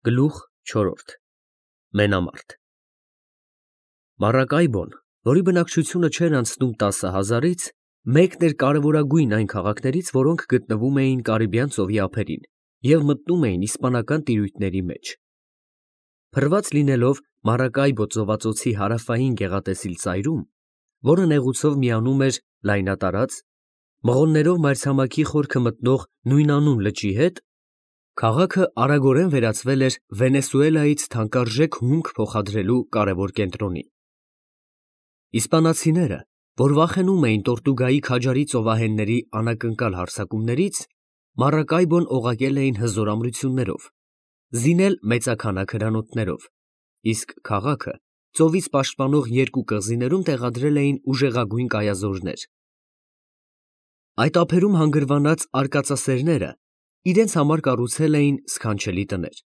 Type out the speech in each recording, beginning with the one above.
Գլուխ 4 Մենամարտ Մարակայբոն, որի բնակչությունը չէր անցնում 10,000-ից, մեկն էր կարևորագույն այն քաղաքներից, որոնք գտնվում էին Կարիբյան ծովի ափերին և մտնում էին իսպանական տիրույթների մեջ։ Փռված լինելով Մարակայբո ծովածոցի հարավային գեղատեսիլ ծայրում, որը նեղուցով միանում էր լայնատարած, մղոններով մայրցամաքի խորքը մտնող նույնանուն լճի հետ, քաղաքը արագորեն վերածվել էր Վենեսուելայից թանկարժեք հումք փոխադրելու կարևոր կենտրոնի։ Իսպանացիները, որ վախենում էին Տորտուգայի քաջարի ծովահենների անակնկալ հարձակումներից, Մարակայբոն օղակել էին հզոր ամրություններով, զինել մեծաքանակ հրանոթներով, իսկ քաղաքը ծովից պաշտպանող երկու կղզիներում տեղադրել էին ուժեղագույն կայազորներ։ Այդ ափերում հանգրվանած արկածասերները իրենց համար կառուցել էին սքանչելի տներ։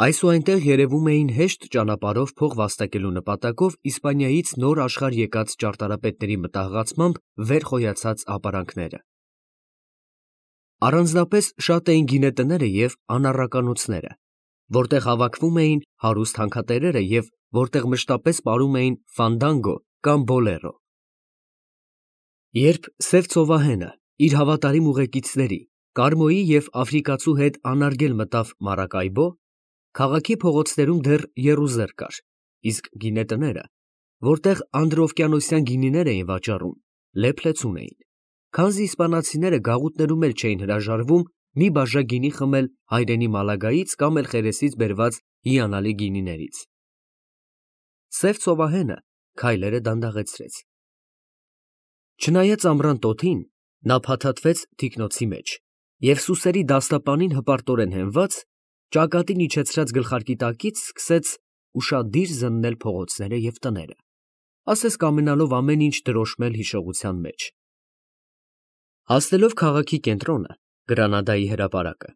Այսուայնտեղ երևում էին հեշտ ճանապարհով փող վաստակելու նպատակով Իսպանիայից նոր աշխարհ եկած ճարտարապետների մտահղացմամբ վեր խոյացած ապարանքները։ Առանձնապես շատ էին գինետները և անառականոցները, որտեղ հավաքվում էին հարուստ հանքատերերը և որտեղ մշտապես պարում էին ֆանդանգո կամ բոլերո։ Երբ Սև ծովահենը իր հավատարիմ ուղեկիցների Կարմոյի և աֆրիկացու հետ անարգել մտավ Մարակայբո, քաղաքի փողոցներում դեռ եռուզեռ կար, իսկ գինետները, որտեղ անդրօվկիանոսյան գինիներ էին վաճառում, լեփ-լեցուն էին, քանզի իսպանացիները գաղութներում էլ չէին հրաժարվում մի բաժակ գինի խմել հայրենի Մալագայից կամ էլ Խերեսից բերված հիանալի գինիներից։ Սև ծովահենը քայլերը դանդաղեցրեց։ Չնայած ամռան տոթին, նա փաթաթվեց թիկնոցի մեջ և սուսերի դաստապանին հպարտորեն հենված, ճակատին իջեցրած գլխարկի տակից սկսեց ուշադիր զննել փողոցները և տները, ասես կամենալով ամեն ինչ դրոշմել հիշողության մեջ։ Հասնելով քաղաքի կենտրոնը, Գրանադայի հրապարակը,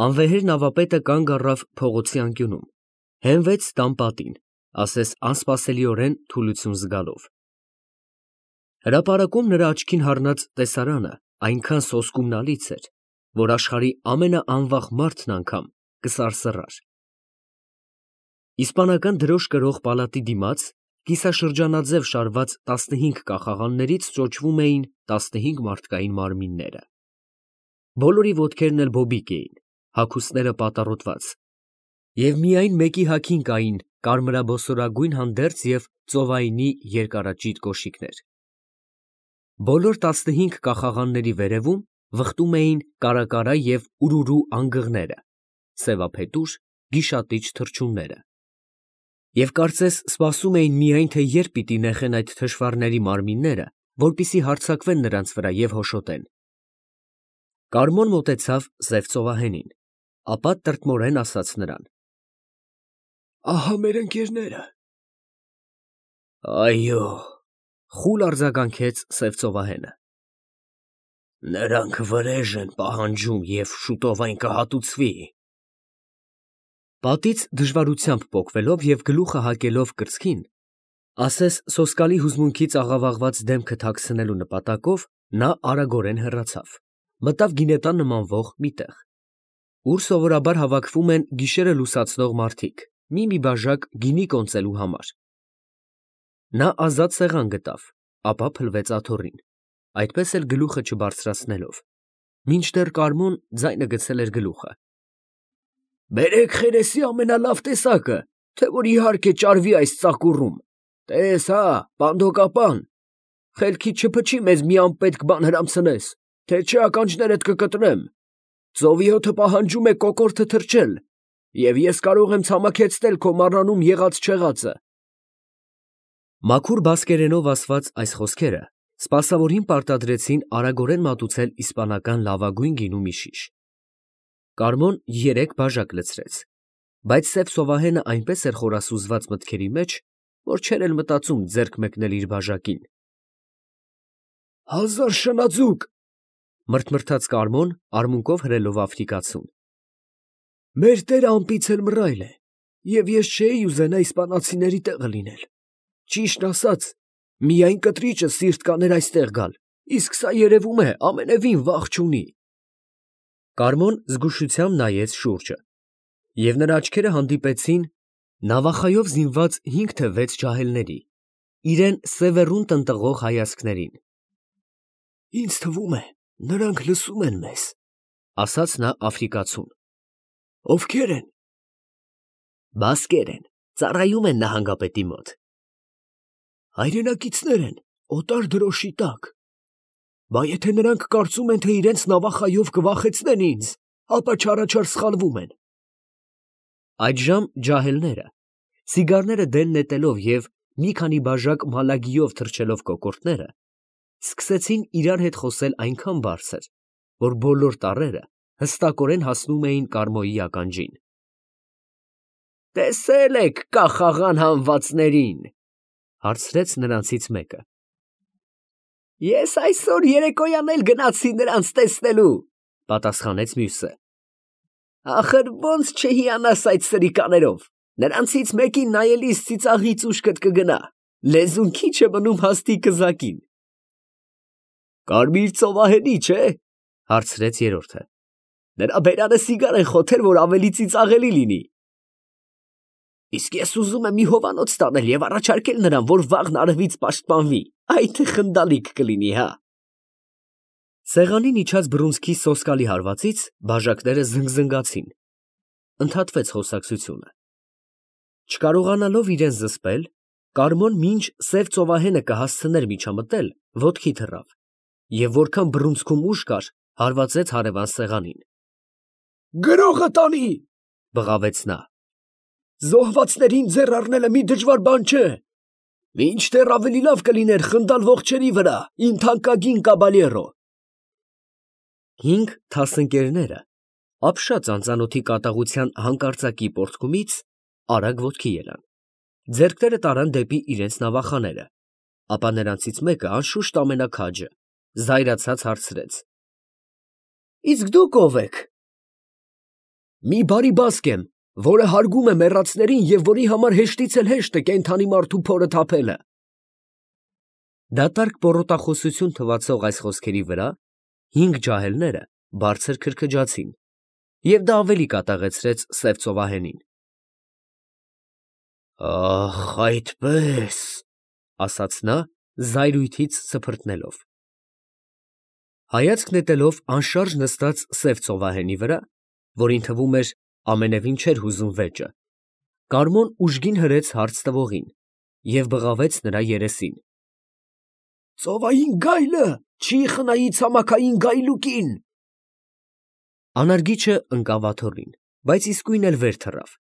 անվեհեր նավապետը կանգ առավ փողոցի անկյունում, հենվեց տան պատին, ասես անսպասելիորեն թուլություն զգալով։ Հրապարակում նրա աչքին հառնած տեսարանը այնքան սոսկումնալից էր, որ աշխարհի ամենաանվախ մարդն անգամ կսարսռար։ Իսպանական դրոշ կրող պալատի դիմաց կիսաշրջանաձև շարված 15 կախաղաններից ճոճվում էին 15 մարդկային մարմինները։ Բոլորի ոտքերն էլ բոբիկ էին, հագուստները պատառոտված, և միայն մեկի հագին կային կարմրաբոսորագույն հանդերձ և ծովայնի երկարաճիտ կոշիկներ։ Բոլոր 15 կախաղանների վերևում վխտում էին կարակարա և ուրուրու անգղները, սևափետուր, գիշատիչ թռչունները։ Եվ կարծես սպասում էին միայն, թե երբ պիտի նեխեն այդ թշվառների մարմինները, որպեսզի հարձակվեն նրանց վրա և հոշոտեն։ Կարմոն մոտեցավ Սև ծովահենին, ապա տրտմորեն ասաց նրան. «Ահա մեր ընկերները»։ «Այո», խուլ արձագանքեց Սև ծովահենը։ «Նրանք վրեժ են պահանջում և շուտով այն կհատուցվի»։ Պատից դժվարությամբ պոկվելով և գլուխը հակելով կրծքին, ասես սոսկալի հուզմունքից աղավաղված դեմքը թաքցնելու նպատակով, նա արագորեն հեռացավ, մտավ գինետան նմանվող մի տեղ, ուր սովորաբար հավաքվում են գիշերը լուսացնող մարդիկ մի բաժակ գինի կոնծելու համար։ Նա ազատ սեղան գտավ, ապա փլվեց աթոռին, այդպես էլ գլուխը չբարձրացնելով, մինչդեռ Կարմոն ձայնը գցել էր գլուխը։ «Բերեք Խերեսի ամենալավ տեսակը, թե որ իհարկե ճարվի այս ծակուռում, տես հա, պանդոկապան, խելքիդ չփչի մեզ մի անպետք բան հրամցնես, թե չէ ականջներդ կկտրեմ, ծովի հոթը պահանջում է կոկորդը թրջել, և ես կարող եմ ցամաքեցնել քո մառանում եղած֊չեղածը»։ Մաքուր բասկերենով ասված այս խոսքերը սպասավորին պարտադրեցին արագորեն մատուցել իսպանական լավագույն գինու մի շիշ։ Կարմոն 3 բաժակ լցրեց, բայց Սև ծովահենը այնպես էր խորասուզված մտքերի մեջ, որ չէր էլ մտածում ձեռք մեկնել իր բաժակին։ «1000 շնաձուկ», մրթմրթաց Կարմոն, արմունկով հրելով աֆրիկացուն։ «Մեր տերը ամպից էլ մռայլ է, և ես չէի ուզենա իսպանացիների տեղը լինել։ Ճիշտն ասած, միայն կտրիճը սիրտ կաներ այստեղ գալ, իսկ սա երևում է ամենևին վախ չունի»։ Կարմոն զգուշությամբ նայեց շուրջը։ Եվ նրա աչքերը հանդիպեցին նավախայով զինված 5 թե 6 ջահելների, իրեն սևեռուն տնտղող հայացքներին։ Ինձ թվում է, նրանք լսում են մեզ, ասաց նա աֆրիկացուն։ Ովքեր են։ Բասկեր են, ծառայում են նահանգապետի մոտ։ Հայրենակիցներ են, օտար դրոշի տակ։ Բա եթե նրանք կարծում են, թե իրենց նավախայով կվախեցնեն ինձ, ապա չարաչար սխալվում են։ Այդժամ ջահելները, սիգարները դեն նետելով և մի քանի բաժակ մալագիով թրջելով կոկորդները, սկսեցին իրար հետ խոսել այնքան բարձր, որ բոլոր տառերը հստակորեն հասնում էին Կարմոյի ականջին։ Տեսե՞լ եք կախաղան հանվածներին, հարցրեց նրանցից մեկը։ Ես այսօր երեկոյան էլ գնացի նրանց տեսնելու, պատասխանեց մյուսը։ Ախր ոնց չհիանաս այդ սրիկաներով, նրանցից մեկին նայելիս ծիծաղից ուշքդ կգնա, լեզուն քիչ է մնում հաստի կզակին։ Կարմիր ծովահենի, չէ, հարցրեց երրորդը։ Նրա բերանը սիգար են խոթել, որ ավելի ծիծաղելի լինի։ Իսկ ես ուզում եմ մի հովանոց տանել և առաջարկել նրան, որ վաղն արևից պաշտպանվի, այ թե խնդալիք կլինի, հա։ Սեղանին իջած բռունցքի սոսկալի հարվածից բաժակները զնգզնգացին։ Ընդհատվեց խոսակցությունը։ Չկարողանալով իրեն զսպել, Կարմոն մինչ սև ծովահենը կհասցներ միջամտել, ոտքի թռավ, և որքան բռունցքում ուժ կար, հարվածեց հարևան սեղանին։ Գրողը տանի, բղավեց նա։ Զոհվածներին ձեռ առնելը մի դժվար բան չէ։ Մինչդեռ ավելի լավ կլիներ խնդալ ողջերի վրա, իմ թանկագին կաբալյերո։ 5 թասընկերները, ապշած անծանոթի կատաղության հանկարծակի պոռթկումից, արագ ոտքի ելան։ Ձեռքները տարան դեպի իրենց նավախաները, ապա նրանցից մեկը, անշուշտ ամենաքաջը, զայրացած հարցրեց. Իսկ դուք ով եք։ Մի բարի բասկ եմ, որը հարգում է մեռածներին և որի համար հեշտից էլ հեշտ է կենդանի մարդու փորը թափելը։ Դատարկ պոռոտախոսություն թվացող այս խոսքերի վրա 5 ջահելները բարձր քրքջացին, և դա ավելի կատաղեցրեց սև ծովահենին։ Ախ, այդպես, ասաց նա, զայրույթից սփռտնելով։ Հայացք նետելով անշարժ նստած սև ծովահենի վրա, որին թվում էր ամենևին չէր հուզում վեճը, Կարմոն ուժգին հրեց հարց տվողին և բղավեց նրա երեսին։ Ծովային գայլը, չի խնայի ցամաքային գայլուկին։ Անարգիչը ընկավ աթոռին, բայց իսկույն էլ վեր թռավ,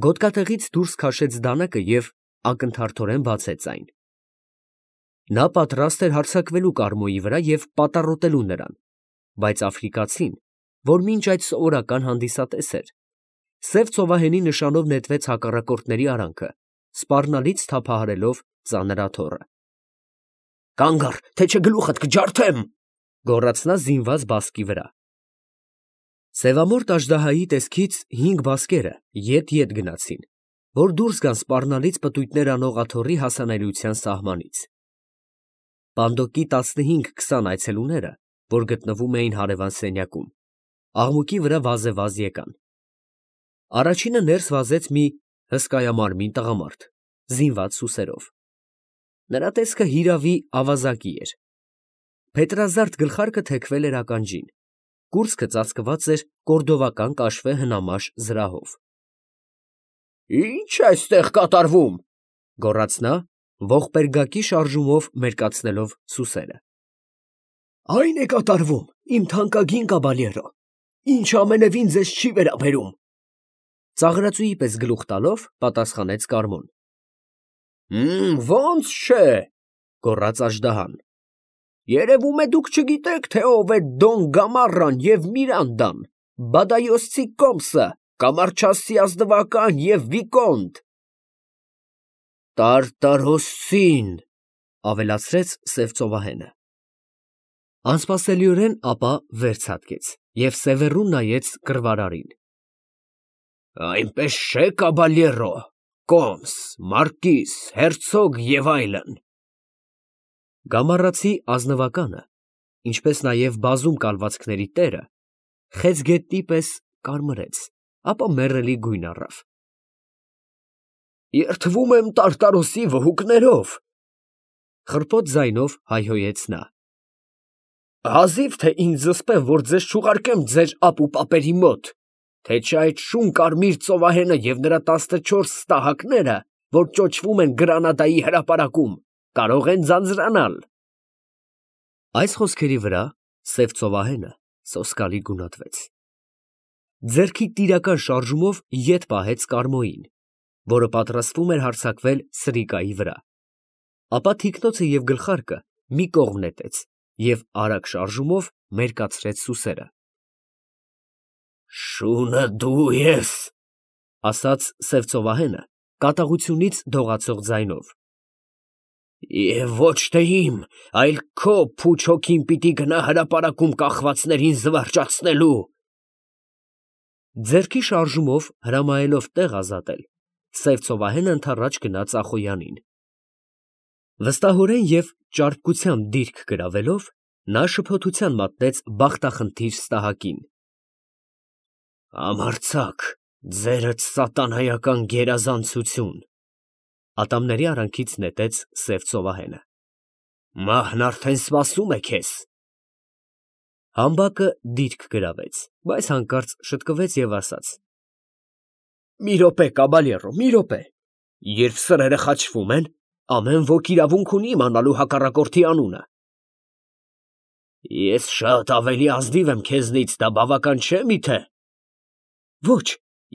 գոտկատեղից դուրս քաշեց դանակը և ակնթարթորեն բացեց այն։ Նա պատրաստ էր հարձակվելու Կարմոյի վրա և պատառոտելու նրան, բայց աֆրիկացին, որ մինչ այդ սովորական հանդիսատես էր, սև ծովահենի նշանով նետվեց հակառակորդների արանքը, սպառնալից թափահարելով ծանր աթոռը։ Կանգ առ, թե չէ գլուխդ կջարդեմ, գոռաց նա զինված բասկի վրա։ Սևամորթ աժդահայի տեսքից 5 բասկերը ետ գնացին, որ դուրս գան սպառնալից պտույտներ անող աթոռի հասանելիության սահմանից։ Պանդոկի 15-20 այցելուները, որ գտնվում էին հարևան սենյակում, աղմուկի վրա վազեվազ եկան։ Առաջինը ներս վազեց մի հսկայամարմին տղամարդ, զինված սուսերով։ Նրա տեսքը հիրավի ավազակի էր։ Փետրազարդ գլխարկը թեքվել էր ականջին, կուրծքը ծածկված էր կորդովական կաշվե հնամաշ զրահով։ Ի՞նչ է այստեղ կատարվում, գոռաց նա, ողբերգակի շարժումով մերկացնելով սուսերը։ Այն է կատարվում, իմ թանկագին կաբալյերո, ինչը ամենևին ձեզ չի վերաբերում, ծաղրածուի պես գլուխ տալով պատասխանեց Կարմոն։ Ոնց չէ, գոռաց աժդահան։ Երևում է դուք չգիտեք, թե ով է Դոն Գամառան և Միրանդան, Բադայոսցի կոմսը, Կամարչասի ազնվական և վիկոնտ։ Տարտարոսցին, ավելացրեց սև ծովահենը։ Անսպասելիորեն ապա վեր ցատկեց և սևեռուն նայեց կռվարարին։ Այնպես չէ, կաբալյերո, կոմս, մարկիս, հերցոգ և այլն։ Գամառացի ազնվականը, ինչպես նաև բազում կալվածքների տերը, խեցգետնի պես կարմրեց ապա մեռելի գույն առավ։ Երդվում եմ Տարտարոսի վհուկներով, խռպոտ ձայնով հայհոյեց նա։ Հազիվ թե ինձ զսպեմ, որ ձեզ չուղարկեմ ձեր ապուպապերի մոտ, թե չէ այդ շուն կարմիր ծովահենը և նրա 14 ստահակները, որ ճոճվում են Գրանադայի հրապարակում, կարող են ձանձրանալ։ Այս խոսքերի վրա սև ծովահենը սոսկալի գունատվեց։ Ձեռքի տիրական շարժումով ետ պահեց Կարմոյին, որը պատրաստվում էր հարձակվել Սրիկայի վրա, ապա թիկնոցը և գլխարկը մի կողմ նետեց և արագ շարժումով մերկացրեց սուսերը։ Շունը դու ես, ասաց սև ծովահենը կատաղությունից դողացող ձայնով։ Եվ ոչ թե իմ, այլ քո փուչ հոգին պիտի գնա հրապարակում կախվածներին զվարճացնելու։ Ձեռքի շարժումով հրամայելով տեղ ազատել, սև ծովահենը ընդառաջ գնաց Ախոյանին։ Վստահորեն և ճարպկությամբ դիրք գրավելով, նա շփոթության մատնեց բախտախնդիր ստահակին։ Համարձակ, ձերդ սատանայական գերազանցություն, ատամների արանքից նետեց սև ծովահենը։ Մահն արդեն սպասում է քեզ։ Համբակը դիրք գրավեց, բայց հանկարծ շտկվեց և ասաց. Մի րոպե, կաբալյերո, մի րոպե, երբ սրերը խաչվում են, ամեն ոք իրավունք ունի իմանալու հակառակորդի անունը։ Ես շատ ավելի ազնիվ եմ քեզնից, դա բավական չէ միթե։ Ոչ,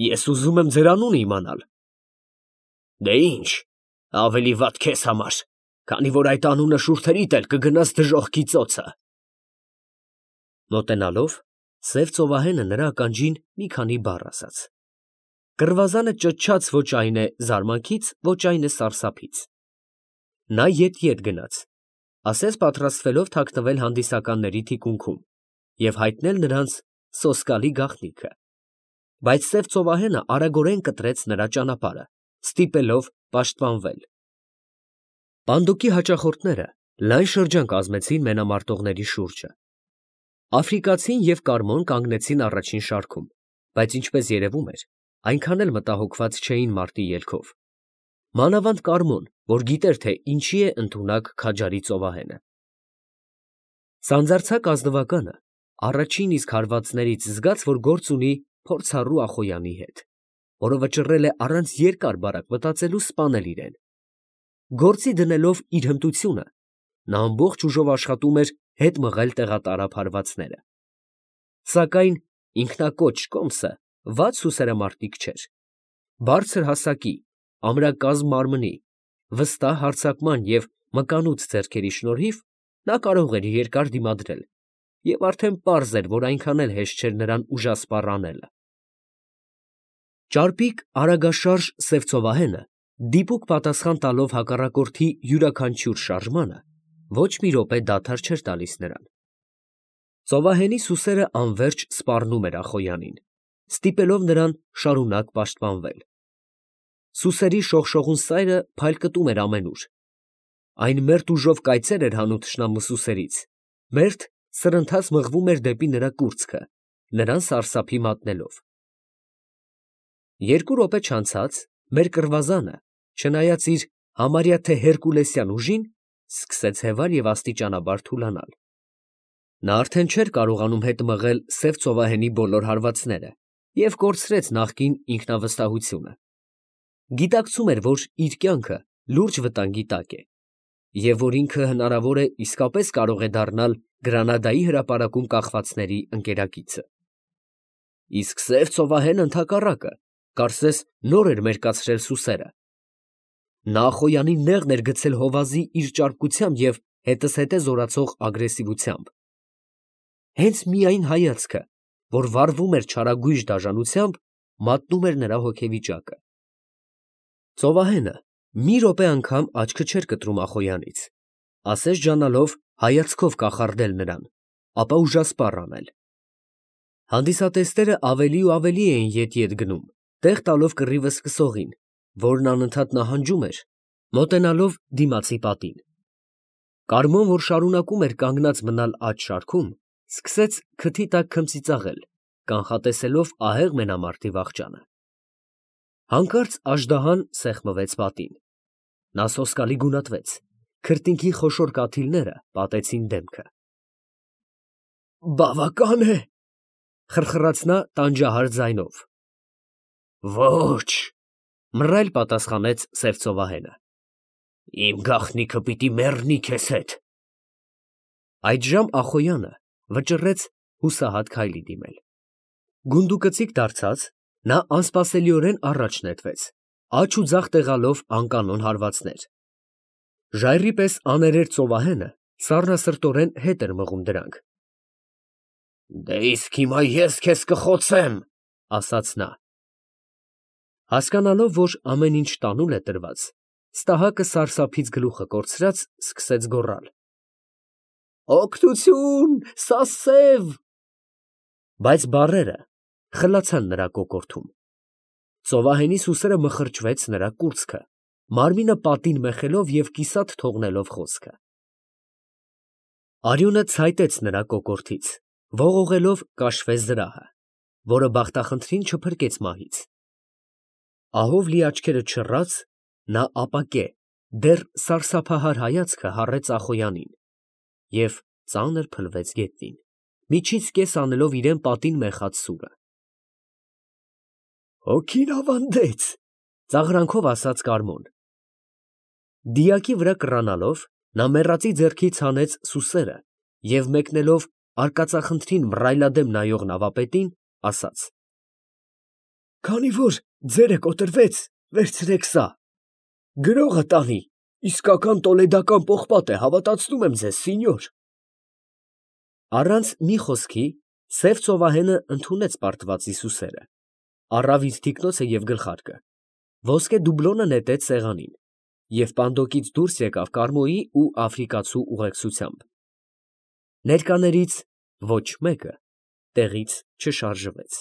ես ուզում եմ ձեր անունը իմանալ։ Դե ինչ, ավելի վատ քեզ համար, քանի որ այդ անունը շուրթերիդ էլ կգնաս դժոխքի ծոցը։ Մոտենալով, սև ծովահենը նրա ականջին մի քանի բառ ասաց։ Կռվազանը ճչաց ոչ այն է զարմանքից, ոչ այն է սարսափից։ Նա ետ գնաց, ասես պատրաստվելով թաքնվել հանդիսականների թիկունքում և հայտնել նրանց սոսկալի գաղտնիքը, բայց սև ծովահենը արագորեն կտրեց նրա ճանապարհը, ստիպելով պաշտպանվել։ Պանդուկի հաճախորդները լայն շրջան կազմեցին մենամարտողների շուրջը։ Աֆրիկացին և Կարմոն կանգնեցին առաջին շարքում, բայց ինչպես երևում էր, այնքան էլ մտահոգված չէին մարտի ելքով։ Մանավանդ Կարմոն, որ գիտեր, թե ինչի է ընդունակ քաջարի ծովահենը։ Սանձարձակ ազնվականը առաջին իսկ հարվածներից զգաց, որ գործ ունի փորձառու Ախոյանի հետ, որը վճռել է առանց երկար բարակ մտածելու սպանել իրեն։ Գործի դնելով իր հմտությունը, նա ամբողջ ուժով աշխատում էր հետ մղել տեղատարափ հարվածները։ Սակայն ինքնակոչ կոմսը վատ սուսերամարտիկ չէր։ Բարձր հասակի, ամրակազմ մարմնի, վստահ հարձակման և մկանուց ձեռքերի շնորհիվ նա կարող էր երկար դիմադրել, և արդեն պարզ էր, որ այնքան էլ հեշտ չէր նրան ուժասպառ անելը։ Ճարպիկ, արագաշարժ սև ծովահենը, դիպուկ պատասխան տալով հակառակորդի յուրաքանչյուր շարժմանը, ոչ մի րոպե դադար չէր տալիս նրան։ Ծովահենի սուսերը անվերջ սպառնում էր Ախոյանին, ստիպելով նրան շարունակ պաշտպանվել։ Սուսերի շողշողուն սայրը փայլկտում էր ամենուր։ Այն մերթ ուժով կայծեր էր հանում թշնամու սուսերից, մերթ սրընթաց մղվում էր դեպի նրա կուրծքը, նրան սարսափի մատնելով։ Երկու րոպե չանցած մեր կռվազանը, չնայած իր համարյա թե հերկուլեսյան ուժին, սկսեց հևալ և աստիճանաբար թուլանալ։ Նա արդեն չէր կարողանում հետ մղել սև ծովահենի բոլոր հարվածները և կորցրեց նախկին ինքնավստահությունը։ Գիտակցում էր, որ իր կյանքը լուրջ վտանգի տակ է, և որ ինքը հնարավոր է իսկապես կարող է դառնալ Գրանադայի հրապարակում կախվածների ընկերակիցը։ Իսկ սև ծովահենը ընդհակառակը, կարծես նոր էր մերկացրել սուսերը։ Նա Ախոյանին նեղն էր գցել հովազի իր ճարպկությամբ և հետզհետե զորացող ագրեսիվությամբ։ Հենց միայն հայացքը, որ վառվում էր չարագույժ դաժանությամբ, մատնում էր նրա հոգեվիճակը։ Ծովահենը մի րոպե անգամ աչքը չէր կտրում Ախոյանից, ասես ջանալով հայացքով կախարդել նրան, ապա ուժասպառ անել։ Հանդիսատեսները ավելի ու ավելի էին ետ գնում, տեղ տալով կռիվը սկսողին, որն անընդհատ նահանջում էր, մոտենալով դիմացի պատին։ Կարմոն, որ շարունակում էր կանգնած մնալ աջ շարքում, սկսեց քթի տակ քմծիծաղել կանխատեսելով ահեղ մենամարտի վախճանը։ Հանկարծ աժդահան սեղմվեց պատին։ Նա սոսկալի գունատվեց, քրտինքի խոշոր կաթիլները պատեցին դեմքը։ Բավական է, խրխրաց նա տանջահար ձայնով։ Ոչ, մռայլ պատասխանեց սև ծովահենը։ Իմ գաղտնիքը պիտի մեռնի քեզ հետ։ Այդժամ Ախոյանը վճռեց հուսահատ քայլի դիմել։ Գունդուկծիկ դարձած, նա անսպասելիորեն առաջ նետվեց, աջ ու ձախ տեղալով անկանոն հարվածներ։ Ժայռի պես աներեր ծովահենը սառնասրտորեն հետ էր մղում դրանք։ Դե իսկ հիմա ես քեզ կխոցեմ, ասաց նա։ Հասկանալով, որ ամեն ինչ տանուլ է տրված, ստահակը սարսափից գլուխը կորցրած սկսեց գոռալ. Օգնություն, սասև։ Բայց բառերը խլացան նրա կոկորդում։ Ծովահենի սուսերը մխրճվեց նրա կուրծքը, մարմինը պատին մեխելով և կիսատ թողնելով խոսքը։ Արյունը ցայտեց նրա կոկորդից, ողողելով կաշվե զրահը, որը բախտախնդրին չփրկեց մահից։ Ահով լի աչքերը չռած, նա ապակե, դեռ սարսափահար հայացքը հառեց Ախոյանին և ծանր փլվեց գետնին, միջից կես անելով իրան պատին մեխած սուրը։ Հոգին ավանդեց, ծաղրանքով ասաց Կարմոն։ Դիակի վրա կռանալով, նա մեռածի ձեռքից հանեց սուսերը և մեկնելով արկածախնդրին մռայլադեմ նայող նավապետին, ասաց. Քանի որ ձերը կոտրվեց, վերցրեք սա։ Գրողը տանի, իսկական տոլեդական պողպատ է, հավատացնում եմ ձեզ, սինյոր։ Առանց մի խոսքի սև ծովահենը ընդունեց պարտվածի սուսերը, առավ իր թիկնոցը և գլխարկը, ոսկե դուբլոնը նետեց սեղանին և պանդոկից դուրս եկավ Կարմոյի ու աֆրիկացու ուղեկցությամբ։ Ներկաներից ոչ մեկը տեղից չշարժվեց։